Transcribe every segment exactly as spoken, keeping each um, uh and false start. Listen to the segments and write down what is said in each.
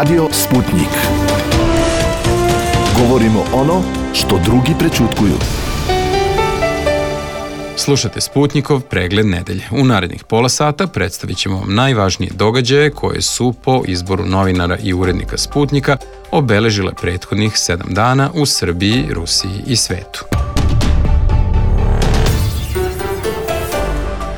Radio Sputnik. Govorimo ono što drugi prećutkuju. Slušate Sputnikov pregled nedelje. U narednih pola sata predstavit ćemo vam najvažnije događaje koje su po izboru novinara i urednika Sputnika obeležile prethodnih sedam dana u Srbiji, Rusiji i svetu.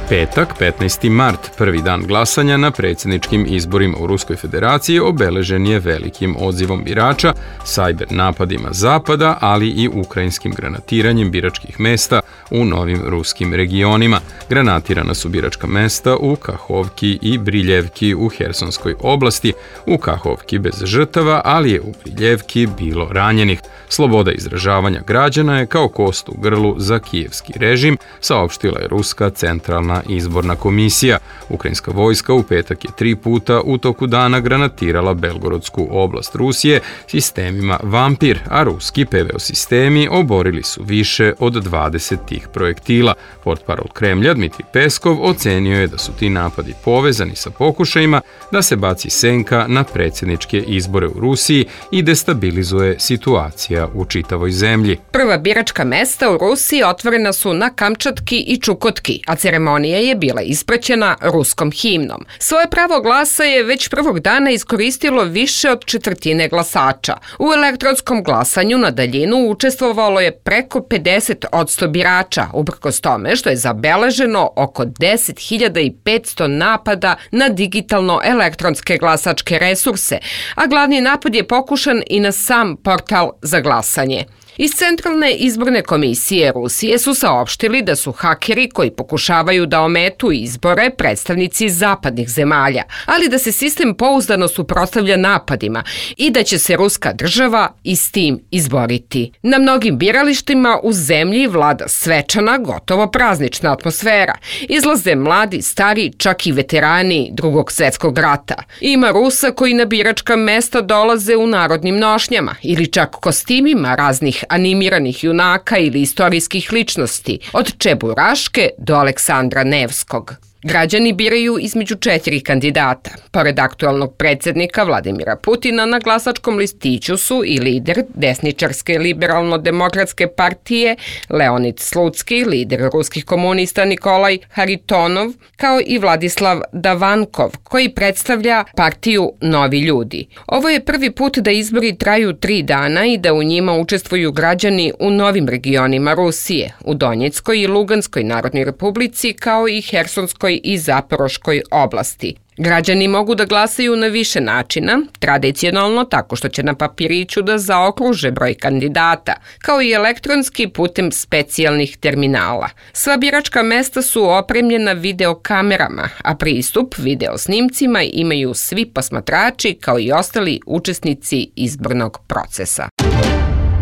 Petak, petnaesti mart, prvi dan glasanja na predsjedničkim izborima u Ruskoj federaciji, obeležen je velikim odzivom birača, sajber napadima zapada, ali i ukrajinskim granatiranjem biračkih mesta u novim ruskim regionima. Granatirana su biračka mesta u Kahovki i Briljevki u Hersonskoj oblasti, u Kahovki bez žrtava, ali je u Briljevki bilo ranjenih. Sloboda izražavanja građana je kao kost u grlu za kijevski režim, saopštila je Ruska centralna izborna komisija. Ukrajinska vojska u petak je tri puta u toku dana granatirala Belgorodsku oblast Rusije sistemima Vampir, a ruski P V O sistemi oborili su više od dvadeset tih projektila. Portparol Kremlja Dmitrij Peskov ocenio je da su ti napadi povezani sa pokušajima da se baci senka na predsjedničke izbore u Rusiji i destabilizuje situacija u čitavoj zemlji. Prva biračka mesta u Rusiji otvorena su na Kamčatki i Čukotki, a ceremonija je bila ispraćena ruskom himnom. Svoje pravo glasa je već prvog dana iskoristilo više od četvrtine glasača. U elektronskom glasanju na daljinu učestvovalo je preko pedeset odsto birača, uprkos tome što je zabeleženo oko deset hiljada petsto napada na digitalno elektronske glasačke resurse, a glavni napad je pokušan i na sam portal za glasanje. Iz Centralne izborne komisije Rusije su saopštili da su hakeri koji pokušavaju da ometu izbore predstavnici zapadnih zemalja, ali da se sistem pouzdano suprotstavlja napadima i da će se ruska država i s tim izboriti. Na mnogim biralištima u zemlji vlada svečana, gotovo praznična atmosfera. Izlaze mladi, stari, čak i veterani Drugog svjetskog rata. Ima Rusa koji na biračka mesta dolaze u narodnim nošnjama ili čak kostimima raznih animiranih junaka ili istorijskih ličnosti, od Čeburaške do Aleksandra Nevskog. Građani biraju između četiri kandidata. Pored aktualnog predsjednika Vladimira Putina, na glasačkom listiću su i lider desničarske liberalno-demokratske partije Leonid Slutski, lider ruskih komunista Nikolaj Haritonov, kao i Vladislav Davankov, koji predstavlja partiju Novi ljudi. Ovo je prvi put da izbori traju tri dana i da u njima učestvuju građani u novim regionima Rusije, u Donjeckoj i Luganskoj narodnoj republici, kao i Hersonskoj i Zaporoškoj oblasti. Građani mogu da glasaju na više načina, tradicionalno tako što će na papiriću da zaokruže broj kandidata, kao i elektronski putem specijalnih terminala. Sva biračka mesta su opremljena videokamerama, a pristup videosnimcima imaju svi posmatrači kao i ostali učesnici izbornog procesa.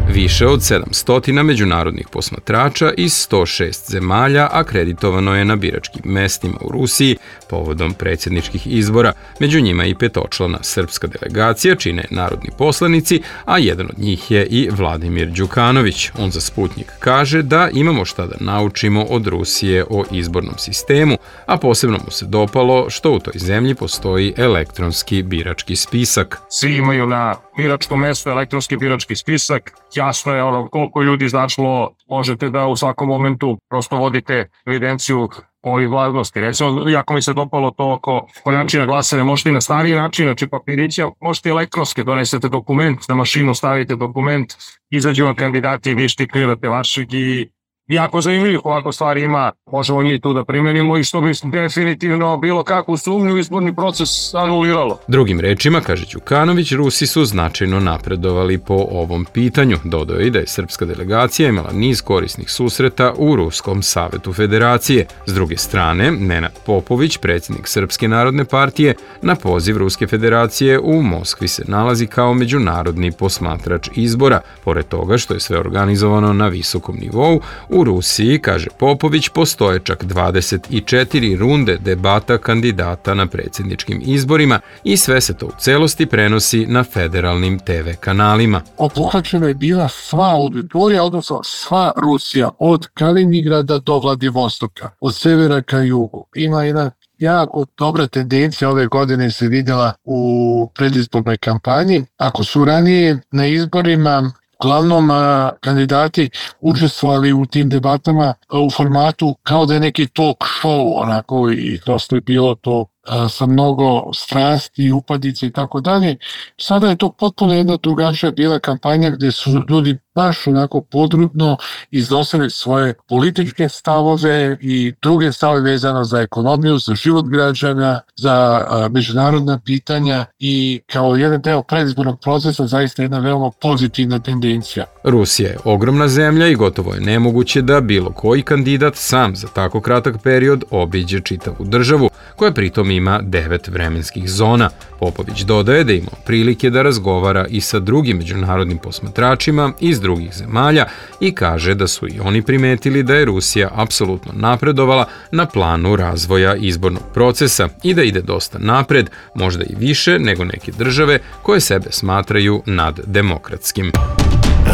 Više od sedamsto međunarodnih posmatrača iz sto šest zemalja akreditovano je na biračkim mestima u Rusiji povodom predsjedničkih izbora. Među njima i petočlana srpska delegacija čine narodni poslanici, a jedan od njih je i Vladimir Đukanović. On za Sputnik kaže da imamo šta da naučimo od Rusije o izbornom sistemu, a posebno mu se dopalo što u toj zemlji postoji elektronski birački spisak. Svi imaju na biračkom mestu elektronski birački spisak. Jasno je ono koliko ljudi izašlo, možete da u svakom momentu prosto vodite evidenciju ovih vladnosti. Recimo, jako mi se dopalo to oko načina glasanja, možete i na stariji način, znači papirića, možete i elektronske, donesete dokument, na mašinu stavite dokument, izađu vam kandidati i vi štiklirate vašeg i jako zanimljivih ovako stvari ima, možemo mi tu da primenimo i što bi definitivno bilo kakvu sumnju izborni proces anuliralo. Drugim rečima, kaže Đukanović, Rusi su značajno napredovali po ovom pitanju. Dodao je da je srpska delegacija imala niz korisnih susreta u Ruskom savetu federacije. S druge strane, Nenad Popović, predsjednik Srpske narodne partije, na poziv Ruske federacije u Moskvi se nalazi kao međunarodni posmatrač izbora. Pored toga što je sve organizovano na visokom nivou, u Rusiji, kaže Popović, postoje čak dvadeset četiri runde debata kandidata na predsjedničkim izborima i sve se to u celosti prenosi na federalnim te ve kanalima. Obuhvaćena je bila sva auditorija, odnosno sva Rusija, od Kaliningrada do Vladivostoka, od severa ka jugu. Ima jedna jako dobra tendencija ove godine se vidjela u predizbornoj kampanji. Ako su ranije na izborima uglavnom a, kandidati učestvovali u tim debatama a, u formatu kao da je neki talk show, onako, i dosta je bilo to a, sa mnogo strasti, upadice i tako dalje. Sada je to potpuno jedna drugačija bila kampanja gdje su ljudi baš onako podrobno iznosili svoje političke stavove i druge stavove vezano za ekonomiju, za život građana, za a, međunarodna pitanja i kao jedan deo predizbornog procesa zaista jedna veoma pozitivna tendencija. Rusija je ogromna zemlja i gotovo je nemoguće da bilo koji kandidat sam za tako kratak period obiđe čitavu državu, koja pritom ima devet vremenskih zona. Popović dodaje da ima prilike da razgovara i sa drugim međunarodnim posmatračima iz drugih zemalja i kaže da su i oni primetili da je Rusija apsolutno napredovala na planu razvoja izbornog procesa i da ide dosta napred, možda i više nego neke države koje sebe smatraju naddemokratskim.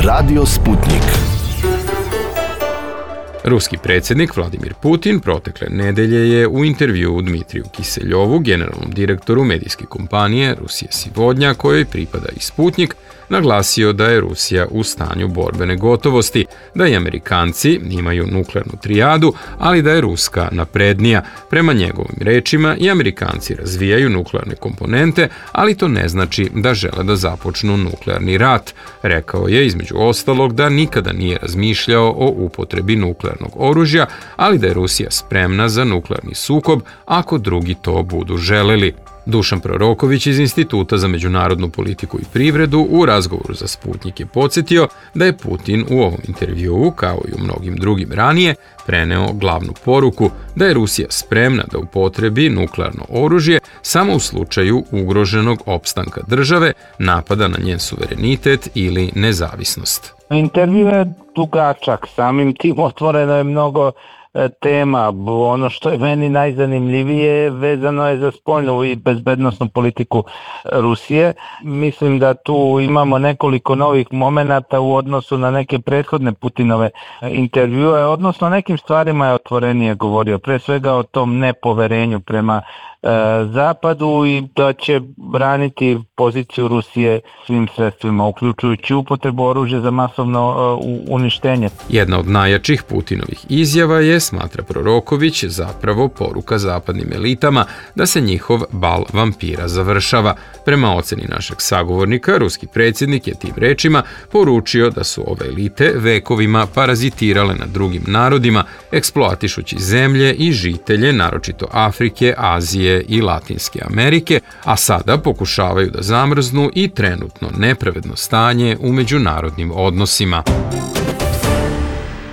Radio Sputnik. Ruski predsjednik Vladimir Putin protekle nedelje je u intervjuu Dmitriju Kiseljovu, generalnom direktoru medijske kompanije Rusije Sivodnja, kojoj pripada i Sputnik, naglasio da je Rusija u stanju borbene gotovosti, da i Amerikanci imaju nuklearnu trijadu, ali da je Ruska naprednija. Prema njegovim rečima i Amerikanci razvijaju nuklearne komponente, ali to ne znači da žele da započnu nuklearni rat. Rekao je između ostalog da nikada nije razmišljao o upotrebi nuklearnog oružja, ali da je Rusija spremna za nuklearni sukob ako drugi to budu želeli. Dušan Proroković iz Instituta za međunarodnu politiku i privredu u razgovoru za Sputnik je podsjetio da je Putin u ovom intervjuu, kao i u mnogim drugim ranije, preneo glavnu poruku da je Rusija spremna da upotrebi nuklearno oružje samo u slučaju ugroženog opstanka države, napada na njen suverenitet ili nezavisnost. Intervju je dugačak, samim tim otvoreno je mnogo tema. Ono što je meni najzanimljivije vezano je za spoljnu i bezbednosnu politiku Rusije. Mislim da tu imamo nekoliko novih momenata u odnosu na neke prethodne Putinove intervjue, odnosno nekim stvarima je otvorenije govorio, pre svega o tom nepoverenju prema Zapadu i da će braniti poziciju Rusije svim sredstvima, uključujući upotrebu oružja za masovno uništenje. Jedna od najjačih Putinovih izjava je, smatra Proroković, zapravo poruka zapadnim elitama da se njihov bal vampira završava. Prema oceni našeg sagovornika, ruski predsjednik je tim rečima poručio da su ove elite vekovima parazitirale na drugim narodima, eksploatišući zemlje i žitelje, naročito Afrike, Azije i Latinske Amerike, a sada pokušavaju da zamrznu i trenutno nepravedno stanje u međunarodnim odnosima.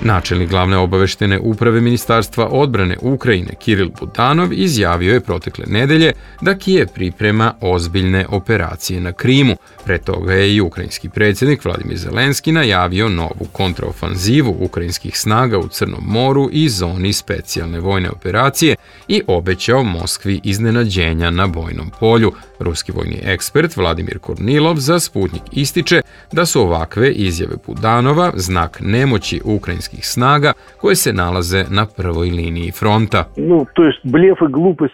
Načelnik glavne obaveštene uprave Ministarstva odbrane Ukrajine Kiril Budanov izjavio je protekle nedelje da Kijev priprema ozbiljne operacije na Krimu. Pre toga je i ukrajinski predsjednik Vladimir Zelenski najavio novu kontraofanzivu ukrajinskih snaga u Crnom moru i zoni specijalne vojne operacije i obećao Moskvi iznenađenja na bojnom polju. Ruski vojni ekspert Vladimir Kornilov za Sputnik ističe da su ovakve izjave Budanova znak nemoći ukrajinskih snaga koje se nalaze na prvoj liniji fronta.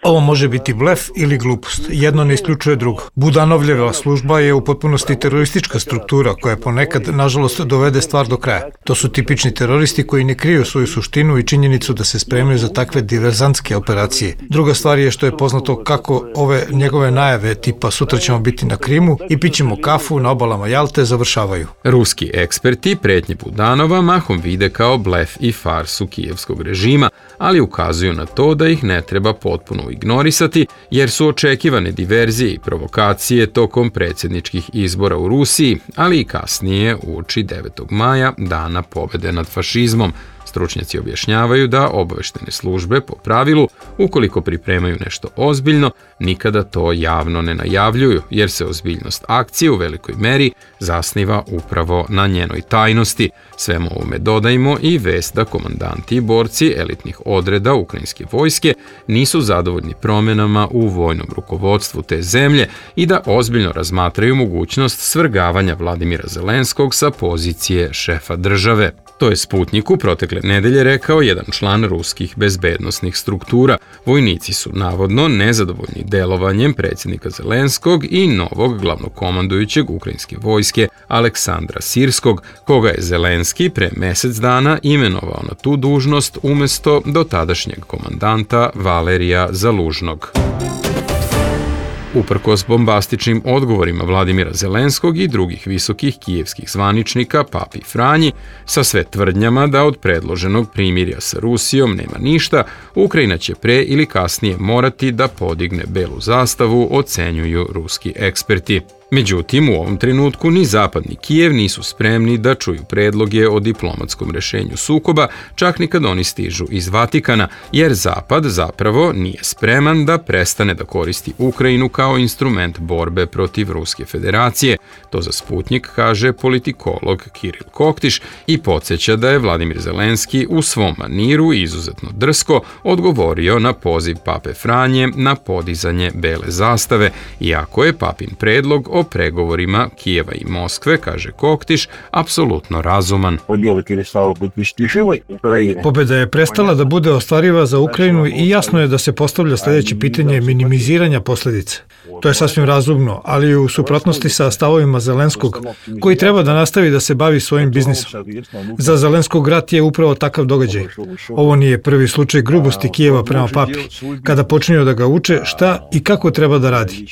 Ovo može biti blef ili glupost. Jedno ne isključuje drugo. Budanovljeva služba je u potpunosti teroristička struktura koja ponekad, nažalost, dovede stvar do kraja. To su tipični teroristi koji ne kriju svoju suštinu i činjenicu da se spremaju za takve diverzantske operacije. Druga stvar je što je poznato kako ove njegove najave tipa sutra ćemo biti na Krimu i pićemo kafu na obalama Jalte završavaju. Ruski eksperti pretnje Budanova mahom vide kao blef i farsu kijevskog režima, ali ukazuju na to da ih ne treba potpuno ignorisati, jer su očekivane diverzije i provokacije tokom predsjedničkih izbora u Rusiji, ali i kasnije uoči devetog maja, dana pobjede nad fašizmom. Stručnjaci objašnjavaju da obaveštene službe po pravilu, ukoliko pripremaju nešto ozbiljno, nikada to javno ne najavljuju, jer se ozbiljnost akcije u velikoj meri zasniva upravo na njenoj tajnosti. Svemu ovome dodajmo i vest da komandanti i borci elitnih odreda ukrajinske vojske nisu zadovoljni promjenama u vojnom rukovodstvu te zemlje i da ozbiljno razmatraju mogućnost svrgavanja Vladimira Zelenskog sa pozicije šefa države. To je Sputniku protekle nedelje rekao jedan član ruskih bezbednosnih struktura. Vojnici su navodno nezadovoljni delovanjem predsjednika Zelenskog i novog glavnokomandujućeg ukrajinske vojske Aleksandra Sirskog, koga je Zelenski pre mesec dana imenovao na tu dužnost umesto dotadašnjeg komandanta Valerija Zalužnog. Uprkos bombastičnim odgovorima Vladimira Zelenskog i drugih visokih kijevskih zvaničnika Papi Franji, sa sve tvrdnjama da od predloženog primirja sa Rusijom nema ništa, Ukrajina će pre ili kasnije morati da podigne belu zastavu, ocenjuju ruski eksperti. Međutim, u ovom trenutku ni Zapad ni Kijev nisu spremni da čuju predloge o diplomatskom rešenju sukoba, čak ni kad oni stižu iz Vatikana, jer Zapad zapravo nije spreman da prestane da koristi Ukrajinu kao instrument borbe protiv Ruske federacije. To za Sputnik kaže politikolog Kiril Koktiš i podsjeća da je Vladimir Zelenski u svom maniru izuzetno drsko odgovorio na poziv Pape Franje na podizanje bele zastave, iako je Papin predlog o pregovorima Kijeva i Moskve, kaže Koktiš, apsolutno razuman. Pobeda je prestala da bude ostvariva za Ukrajinu i jasno je da se postavlja sljedeće pitanje minimiziranja posljedice. To je sasvim razumno, ali u suprotnosti sa stavovima Zelenskog, koji treba da nastavi da se bavi svojim biznisom. Za Zelenskog rat je upravo takav događaj. Ovo nije prvi slučaj grubosti Kijeva prema papi, kada počinju da ga uče šta i kako treba da radi.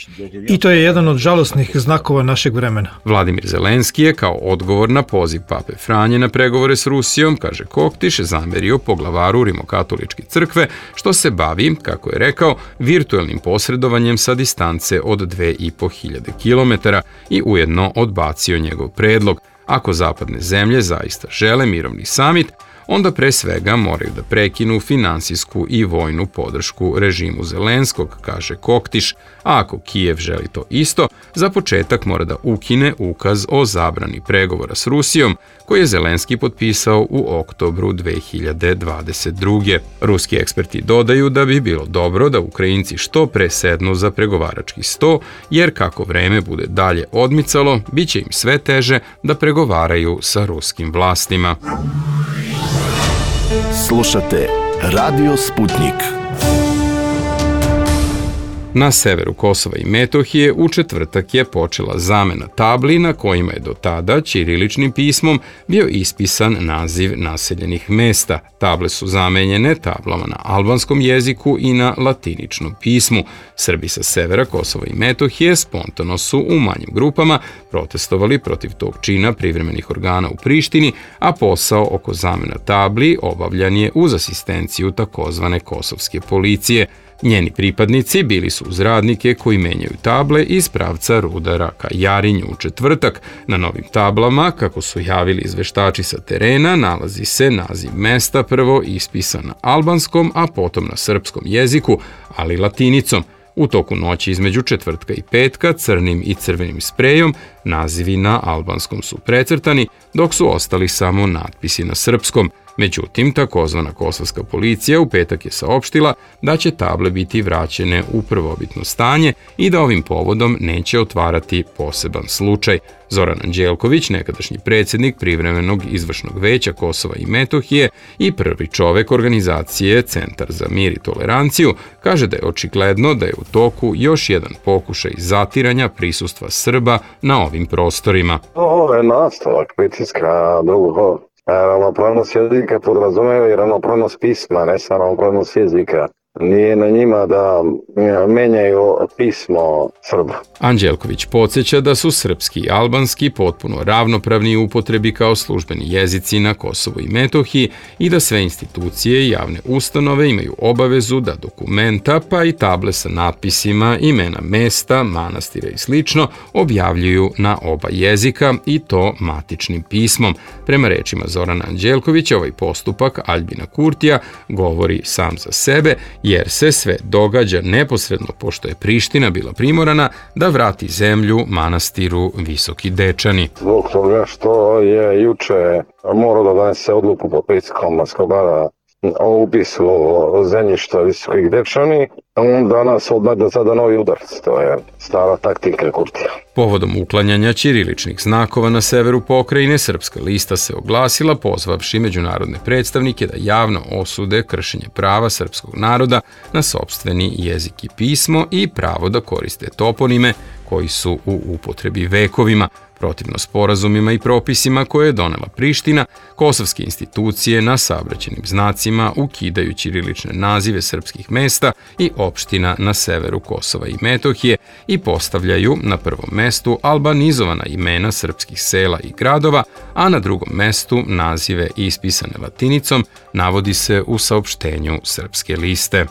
I to je jedan od žalosnih znakova našeg vremena. Vladimir Zelenski je kao odgovor na poziv Pape Franje na pregovore s Rusijom, kaže Koktiš, zamerio poglavaru Rimokatoličke crkve, što se bavi, kako je rekao, virtuelnim posredovanjem sa distance od dve i po hiljade kilometara i ujedno odbacio njegov predlog. Ako zapadne zemlje zaista žele mirovni samit, onda pre svega moraju da prekinu finansijsku i vojnu podršku režimu Zelenskog, kaže Koktiš, a ako Kijev želi to isto, za početak mora da ukine ukaz o zabrani pregovora s Rusijom, koji je Zelenski potpisao u oktobru dve hiljade dvadeset druge. Ruski eksperti dodaju da bi bilo dobro da Ukrajinci što pre sednu za pregovarački sto, jer kako vreme bude dalje odmicalo, bit će im sve teže da pregovaraju sa ruskim vlastima. Slušate Radio Sputnik. Na severu Kosova i Metohije u četvrtak je počela zamena tabli na kojima je do tada ćiriličnim pismom bio ispisan naziv naseljenih mesta. Table su zamenjene tablama na albanskom jeziku i na latiničnom pismu. Srbi sa severa Kosova i Metohije spontano su u manjim grupama protestovali protiv tog čina privremenih organa u Prištini, a posao oko zamena tabli obavljan je uz asistenciju takozvane kosovske policije. Njeni pripadnici bili su uz radnike koji menjaju table iz pravca Rudara ka Jarinju u četvrtak. Na novim tablama, kako su javili izveštači sa terena, nalazi se naziv mesta prvo ispisan na albanskom, a potom na srpskom jeziku, ali latinicom. U toku noći između četvrtka i petka crnim i crvenim sprejom nazivi na albanskom su precrtani, dok su ostali samo natpisi na srpskom. Međutim, takozvana kosovska policija u petak je saopštila da će table biti vraćene u prvobitno stanje i da ovim povodom neće otvarati poseban slučaj. Zoran Anđelković, nekadašnji predsjednik privremenog izvršnog veća Kosova i Metohije i prvi čovek organizacije Centar za mir i toleranciju, kaže da je očigledno da je u toku još jedan pokušaj zatiranja prisustva Srba na ovim prostorima. Ovo je nastavak pritiska drugog. Ravnopravnost jezika podrazumeva i ravnopravnost pisma, ne samo ravnopravnost jezika. Nije na njima da menjaju pismo Srba. Anđelković podsjeća da su srpski i albanski potpuno ravnopravni u upotrebi kao službeni jezici na Kosovu i Metohiji i da sve institucije i javne ustanove imaju obavezu da dokumenta pa i table sa natpisima, imena mesta, manastira i slično objavljuju na oba jezika i to matičnim pismom. Prema rečima Zorana Anđelkovića, ovaj postupak Aljbina Kurtija govori sam za sebe, jer se sve događa neposredno pošto je Priština bila primorana da vrati zemlju manastiru Visoki Dečani. Zbog toga što je juče morao da donese odluku pod pritiskom Skobara o upisu zemljišta Visokih Dečani, on danas odmah da sada novi udarac. To je stara taktika Kurtija. Povodom uklanjanja ćiriličnih znakova na severu pokrajine, Srpska lista se oglasila pozvavši međunarodne predstavnike da javno osude kršenje prava srpskog naroda na sopstveni jezik i pismo i pravo da koriste toponime koji su u upotrebi vekovima, protivno sporazumima i propisima koje je donela Priština. Kosovske institucije na saobraćajnim znacima ukidaju ćirilične nazive srpskih mesta i opština na severu Kosova i Metohije i postavljaju na prvom mestu albanizovana imena srpskih sela i gradova, a na drugom mestu nazive ispisane latinicom, navodi se u saopštenju Srpske liste.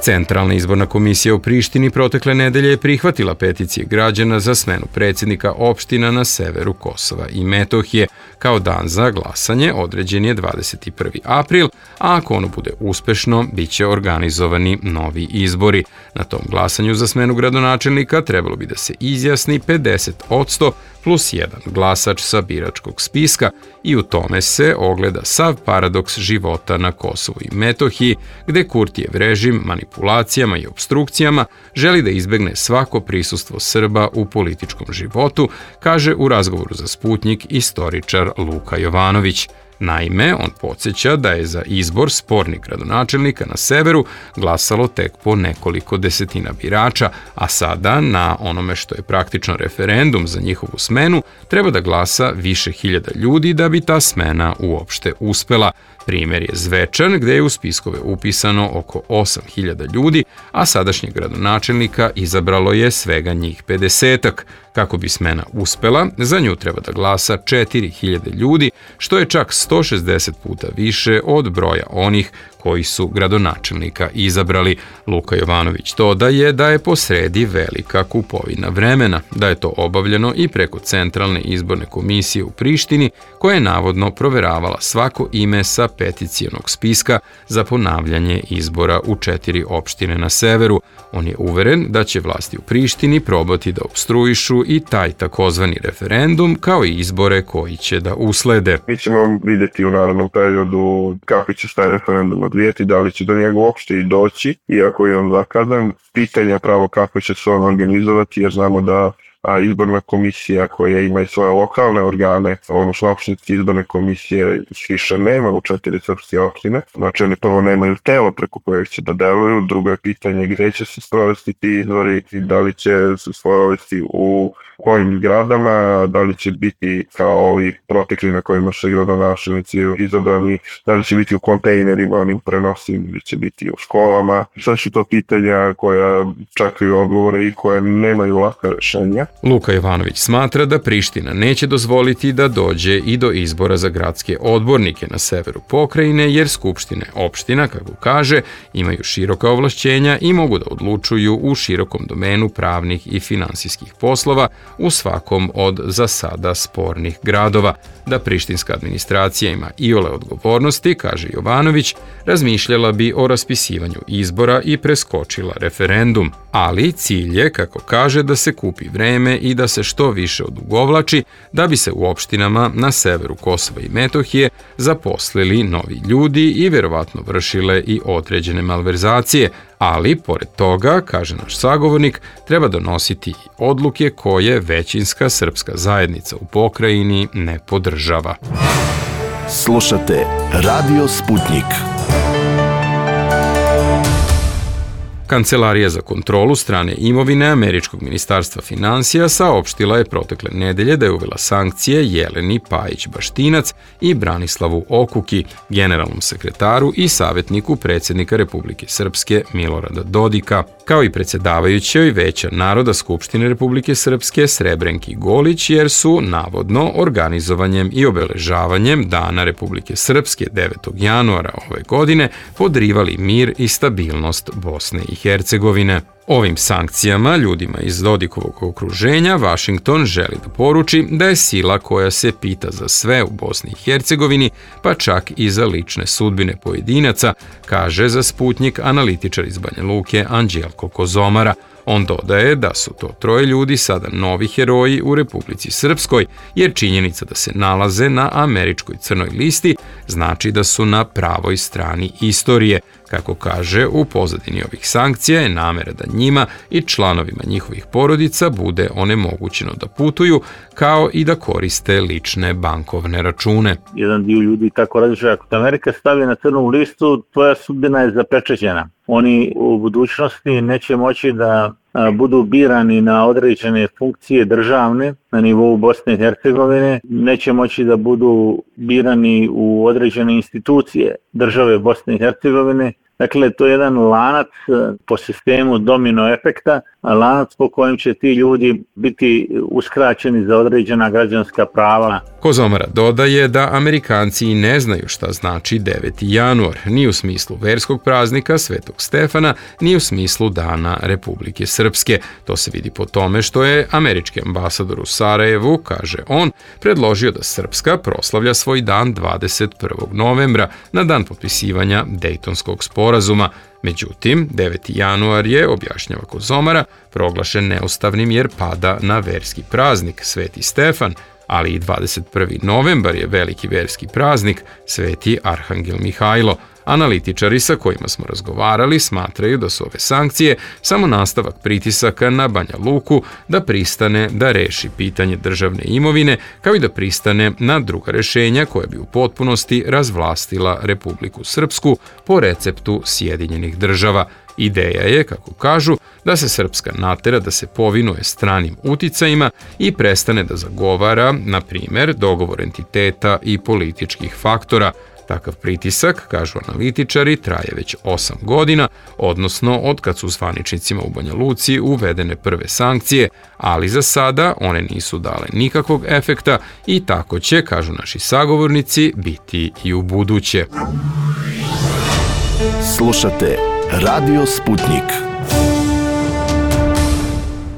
Centralna izborna komisija u Prištini protekle nedelje je prihvatila peticije građana za smenu predsjednika opština na severu Kosova i Metohije. Kao dan za glasanje određen je dvadeset prvi april, a ako ono bude uspešno, bit će organizovani novi izbori. Na tom glasanju za smenu gradonačelnika trebalo bi da se izjasni pedeset odsto plus jedan glasač sa biračkog spiska i u tome se ogleda sav paradoks života na Kosovu i Metohiji, gde Kurtijev režim manipulacijama i obstrukcijama želi da izbegne svako prisustvo Srba u političkom životu, kaže u razgovoru za Sputnjik istoričar Luka Jovanović. Naime, on podsjeća da je za izbor spornih gradonačelnika na severu glasalo tek po nekoliko desetina birača, a sada na onome što je praktično referendum za njihovu smenu treba da glasa više hiljada ljudi da bi ta smena uopšte uspela. Primer je Zvečan, gde je u spiskove upisano oko osam hiljada ljudi, a sadašnjeg gradonačelnika izabralo je svega njih pedesetak. Kako bi smena uspela, za nju treba da glasa četiri hiljade ljudi, što je čak sto šezdeset puta više od broja onih koji su gradonačelnika izabrali. Luka Jovanović dodaje da je posredi velika kupovina vremena, da je to obavljeno i preko Centralne izborne komisije u Prištini, koja je navodno proveravala svako ime sa peticijonog spiska za ponavljanje izbora u četiri opštine na severu. On je uveren da će vlasti u Prištini probati da opstruišu i taj takozvani referendum, kao i izbore koji će da uslede. Mi ćemo vidjeti u narednom periodu kako će taj referendum odvijeti, da li će do njega uopšte i doći, iako je on zakazan. Pitanje je pravo kako će se on organizovati, jer znamo da a izborna komisija koja ima i svoje lokalne organe, odnosno opštinske izborne komisije više nema u četiri srpske opštine. Znači oni prvo nemaju telo preko kojeg će da deluju, drugo je pitanje gde će se sprovesti ti izbori i da li će se sprovesti u kojim zgradama, da li će biti kao ovi protekli na kojima se gradonačelnici izabrani, da li će biti u kontejnerima, onim prenosivim, ili će biti u školama. Sve su to pitanja koja čekaju odgovore i koje nemaju laka rešenja. Luka Jovanović smatra da Priština neće dozvoliti da dođe i do izbora za gradske odbornike na severu pokrajine, jer skupštine opština, kako kaže, imaju široka ovlašćenja i mogu da odlučuju u širokom domenu pravnih i finansijskih poslova u svakom od za sada spornih gradova. Da prištinska administracija ima iole odgovornosti, kaže Jovanović, razmišljala bi o raspisivanju izbora i preskočila referendum. Ali cilj je, kako kaže, da se kupi vreme i da se što više odugovlači, da bi se u opštinama na severu Kosova i Metohije zaposlili novi ljudi i verovatno vršile i određene malverzacije, ali, pored toga, kaže naš sagovornik, treba donositi i odluke koje većinska srpska zajednica u pokrajini ne podržava. Slušate Radio Sputnjik. Kancelarija za kontrolu strane imovine Američkog ministarstva finansija saopštila je protekle nedelje da je uvela sankcije Jeleni Pajić-Baštinac i Branislavu Okuki, generalnom sekretaru i savjetniku predsjednika Republike Srpske Milorada Dodika, kao i predsjedavajućoj Veća naroda Skupštine Republike Srpske Srebrenki Golić, jer su navodno organizovanjem i obeležavanjem Dana Republike Srpske devetog januara ove godine podrivali mir i stabilnost Bosne i Hercegovine. Ovim sankcijama ljudima iz Dodikovog okruženja Vašington želi da poruči da je sila koja se pita za sve u Bosni i Hercegovini, pa čak i za lične sudbine pojedinaca, kaže za Sputnjik analitičar iz Banja Luke Anđelko Kozomara. On dodaje da su to troje ljudi sada novi heroji u Republici Srpskoj, jer činjenica da se nalaze na američkoj crnoj listi znači da su na pravoj strani istorije. Kako kaže, u pozadini ovih sankcija je namera da njima i članovima njihovih porodica bude onemogućeno da putuju, kao i da koriste lične bankovne račune. Jedan dio ljudi tako različuje, ako te Amerika stavi na crnu listu, tvoja sudbina je zapečećena. Oni u budućnosti neće moći da budu birani na određene funkcije državne na nivou Bosne i Hercegovine, neće moći da budu birani u određene institucije države Bosne i Hercegovine. Dakle, to je jedan lanac po sistemu domino efekta, lanac po kojem će ti ljudi biti uskraćeni za određena građanska prava. Kozomara dodaje da Amerikanci i ne znaju šta znači deveti januar, ni u smislu verskog praznika Svetog Stefana, ni u smislu Dana Republike Srpske. To se vidi po tome što je američki ambasador u Sarajevu, kaže on, predložio da Srpska proslavlja svoj dan dvadeset prvog novembra, na dan potpisivanja Dejtonskog sporazuma. Međutim, deveti januar je, objašnjava Kozomara, proglašen neustavnim jer pada na verski praznik Sveti Stefan, ali i dvadeset prvi novembar je veliki verski praznik Sveti Arhangel Mihajlo. Analitičari sa kojima smo razgovarali smatraju da su ove sankcije samo nastavak pritisaka na Banja Luku da pristane da reši pitanje državne imovine, kao i da pristane na druga rešenja koja bi u potpunosti razvlastila Republiku Srpsku po receptu Sjedinjenih država. Ideja je, kako kažu, da se Srpska natera da se povinuje stranim uticajima i prestane da zagovara, na primjer, dogovor entiteta i političkih faktora. Takav pritisak, kažu analitičari, traje već osam godina, odnosno od kad su zvaničnicima u Banja Luci uvedene prve sankcije, ali za sada one nisu dale nikakvog efekta i tako će, kažu naši sagovornici, biti i u buduće. Slušate Radio Sputnik.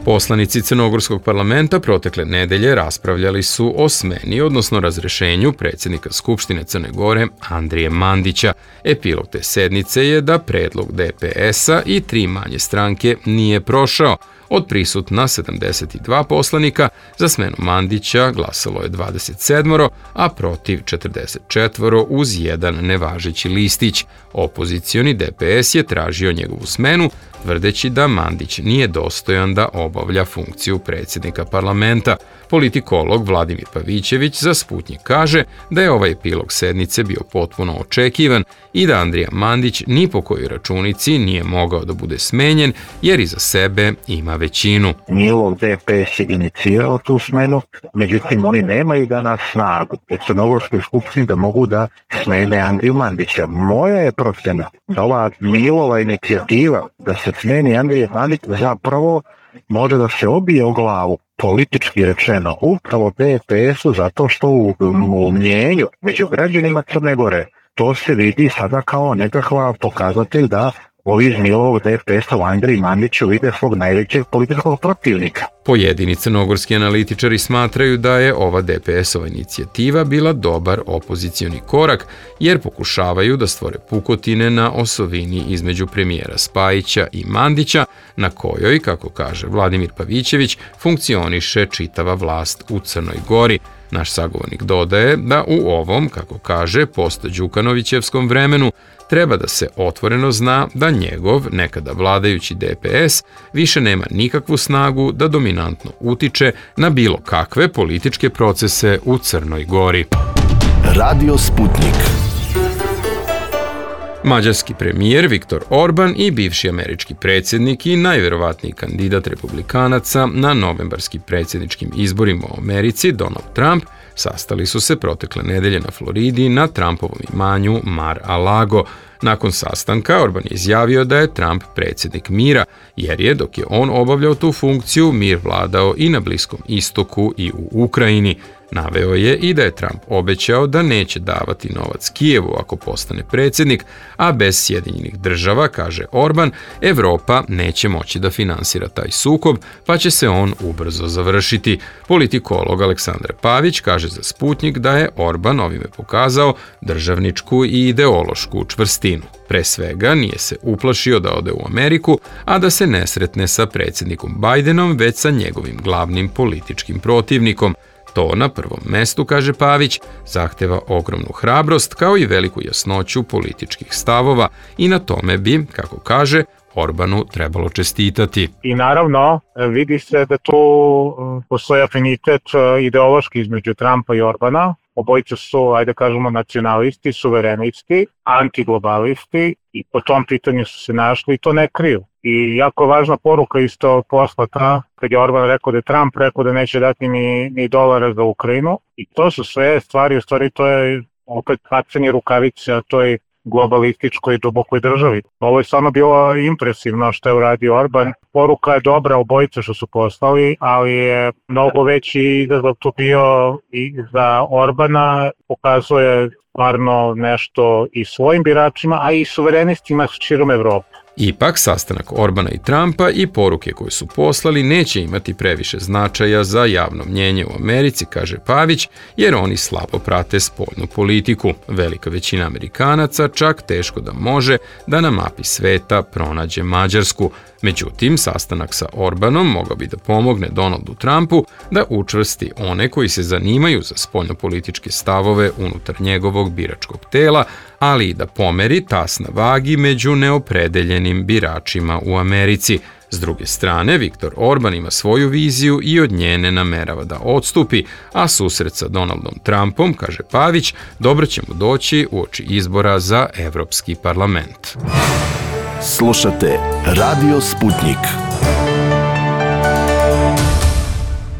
Poslanici Crnogorskog parlamenta protekle nedelje raspravljali su o smeni, odnosno razrešenju predsjednika Skupštine Crne Gore Andrije Mandića. Epilog te sednice je da predlog D P S-a i tri manje stranke nije prošao. Od prisutna sedamdeset dva poslanika za smenu Mandića glasalo je dvadeset sedam, a protiv četrdeset četiri uz jedan nevažeći listić. Opozicioni D P S je tražio njegovu smenu, tvrdeći da Mandić nije dostojan da obavlja funkciju predsjednika parlamenta. Politikolog Vladimir Pavićević za Sputnjik kaže da je ovaj epilog sednice bio potpuno očekivan i da Andrija Mandić ni po kojoj računici nije mogao da bude smenjen jer iza sebe ima većinu. Njihov D P S je inicirao tu smenu, međutim oni nemaju danas snagu u Crnogorskoj skupštini da mogu da smene Andriju Mandića. Moja je procjena da ova Milova inicijativa da se smeni Andrija Mandić zapravo može da se obije o glavu, politički rečeno, upravo D P S-u, zato što u, u mnjenju među građanima Crne Gore to se vidi sada kao nekakva pokazatelj da ovi iz Milovog D P S-a u Andriji Mandiću vide svog najvećeg političkog protivnika. Pojedini crnogorski analitičari smatraju da je ova D P S-ova inicijativa bila dobar opozicioni korak, jer pokušavaju da stvore pukotine na osovini između premijera Spajića i Mandića, na kojoj, kako kaže Vladimir Pavićević, funkcioniše čitava vlast u Crnoj Gori. Naš sagovornik dodaje da u ovom, kako kaže, post-Đukanovićevskom vremenu treba da se otvoreno zna da njegov, nekada vladajući D P S, više nema nikakvu snagu da dominantno utiče na bilo kakve političke procese u Crnoj Gori. Radio Sputnik. Mađarski premijer Viktor Orban i bivši američki predsjednik i najverovatniji kandidat republikanaca na novembarskim predsjedničkim izborima u Americi, Donald Trump, sastali su se protekle nedelje na Floridi na Trumpovom imanju Mar-a-Lago. Nakon sastanka Orban je izjavio da je Trump predsjednik mira, jer je, dok je on obavljao tu funkciju, mir vladao i na Bliskom istoku i u Ukrajini. Naveo je i da je Trump obećao da neće davati novac Kijevu ako postane predsjednik, a bez Sjedinjenih država, kaže Orban, Evropa neće moći da finansira taj sukob, pa će se on ubrzo završiti. Politikolog Aleksandar Pavić kaže za Sputnjik da je Orban ovime pokazao državničku i ideološku čvrstinu. Pre svega nije se uplašio da ode u Ameriku, a da se ne sretne sa predsjednikom Bajdenom, već sa njegovim glavnim političkim protivnikom. To na prvom mestu, kaže Pavić, zahteva ogromnu hrabrost kao i veliku jasnoću političkih stavova i na tome bi, kako kaže, Orbanu trebalo čestitati. I naravno vidi se da tu postoji afinitet ideološki između Trumpa i Orbana. Obojica su, ajde kažemo, nacionalisti, suverenisti, antiglobalisti i po tom pitanju su se našli i to ne kriju. I jako važna poruka isto poslata kad je Orban rekao da je Trump rekao da neće dati ni, ni dolara za Ukrajinu. I to su sve stvari, u stvari to je opet bacanje rukavice, a to je globalističkoj i dubokoj državi. Ovo je stvarno bilo impresivno što je uradio Orban. Poruka je dobra obojica što su poslali, ali je mnogo veći izazov tu bio i za Orbana, pokazuje stvarno nešto i svojim biračima, a i suverenistima širom Evrope. Ipak, sastanak Orbana i Trumpa i poruke koje su poslali neće imati previše značaja za javno mnjenje u Americi, kaže Pavić, jer oni slabo prate spoljnu politiku. Velika većina Amerikanaca čak teško da može da na mapi sveta pronađe Mađarsku. Međutim, sastanak sa Orbanom mogao bi da pomogne Donaldu Trumpu da učvrsti one koji se zanimaju za spoljnopolitičke stavove unutar njegovog biračkog tela, ali i da pomeri tas na vagi među neopredeljenim biračima u Americi. S druge strane, Viktor Orban ima svoju viziju i od nje ne namerava da odstupi, a susret sa Donaldom Trumpom, kaže Pavić, dobro će mu doći uoči izbora za Evropski parlament. Slušate Radio Sputnik.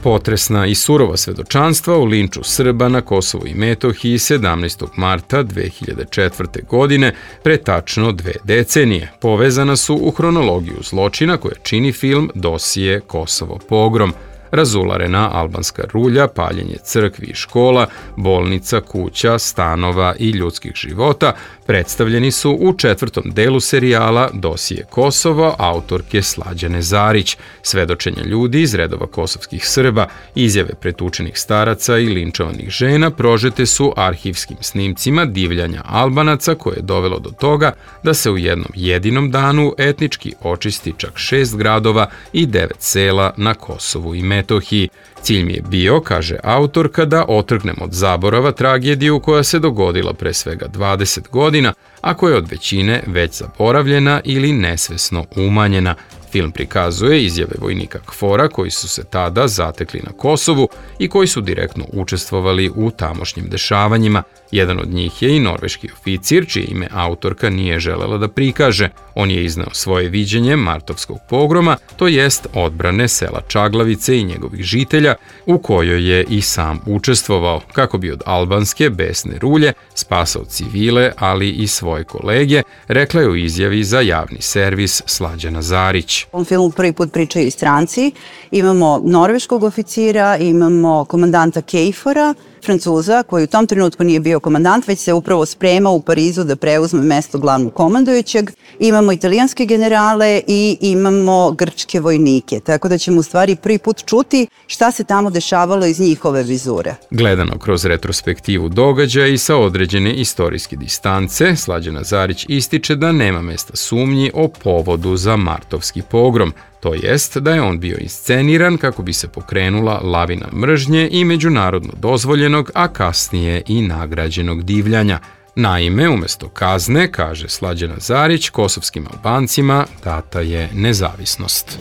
Potresna i surova svedočanstva u linču Srba na Kosovu i Metohiji sedamnaestog marta dve hiljade četvrte. godine, pre tačno dve decenije, povezana su u hronologiju zločina koja čini film Dosije Kosovo pogrom. Razularena albanska rulja, paljenje crkvi i škola, bolnica, kuća, stanova i ljudskih života predstavljeni su u četvrtom delu serijala Dosije Kosovo autorke Slađane Zarić, svedočenja ljudi iz redova kosovskih Srba, izjave pretučenih staraca i linčovanih žena prožete su arhivskim snimcima divljanja Albanaca koje je dovelo do toga da se u jednom jedinom danu etnički očisti čak šest gradova i devet sela na Kosovu i Metohiji. Cilj mi je bio, kaže autorka, da otrgnem od zaborava tragediju koja se dogodila pre svega dvadeset godina, a koja je od većine već zaboravljena ili nesvesno umanjena. Film prikazuje izjave vojnika KFOR-a koji su se tada zatekli na Kosovu i koji su direktno učestvovali u tamošnjim dešavanjima. Jedan od njih je i norveški oficir, čije ime autorka nije želela da prikaže. On je izneo svoje viđenje martovskog pogroma, to jest odbrane sela Čaglavice i njegovih žitelja, u kojoj je i sam učestvovao, kako bi od albanske besne rulje spasao civile, ali i svoje kolege, rekla je u izjavi za javni servis Slađana Zarić. U ovom filmu prvi put pričaju i stranci. Imamo norveškog oficira, imamo komandanta Kejfora, Francuza, koji u tom trenutku nije bio komandant, već se upravo spremao u Parizu da preuzme mesto glavnog komandujućeg. Imamo italijanske generale i imamo grčke vojnike, tako da ćemo u stvari prvi put čuti šta se tamo dešavalo iz njihove vizure. Gledano kroz retrospektivu događaja i sa određene istorijske distance, Slađana Zarić ističe da nema mesta sumnji o povodu za martovski pogrom, to jest da je on bio insceniran kako bi se pokrenula lavina mržnje i međunarodno dozvoljenog, a kasnije i nagrađenog divljanja. Naime, umesto kazne, kaže Slađana Zarić, kosovskim Albancima data je nezavisnost.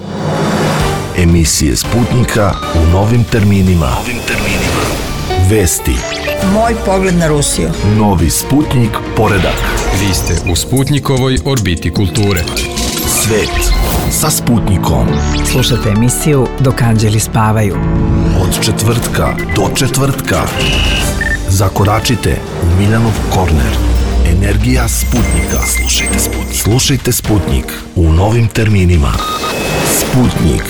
Emisije Sputnika u novim terminima. Novim terminima. Vesti. Moj pogled na Rusiju. Novi Sputnik poredak. Vi ste u Sputnikovoj orbiti kulture. Svet sa Sputnikom. Slušajte emisiju Dok anđeli spavaju. Od četvrtka do četvrtka. Zakoračite u Miljanov korner. Energija Sputnika. Slušajte Sputnik. Slušajte Sputnik u novim terminima. Sputnik.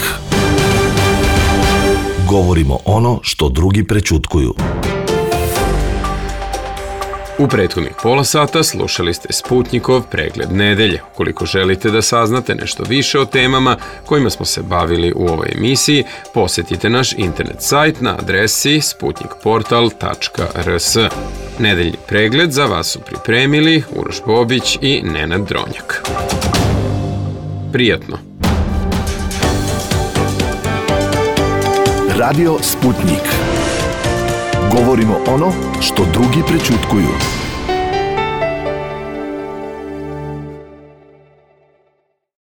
Govorimo ono što drugi prećutkuju. U prethodnih pola sata slušali ste Sputnikov pregled nedelje. Ukoliko želite da saznate nešto više o temama kojima smo se bavili u ovoj emisiji, posjetite naš internet sajt na adresi sputnikportal tačka r s. Nedeljni pregled za vas su pripremili Uroš Bobić i Nenad Dronjak. Prijatno! Radio Sputnik. Govorimo ono što drugi prećutkuju.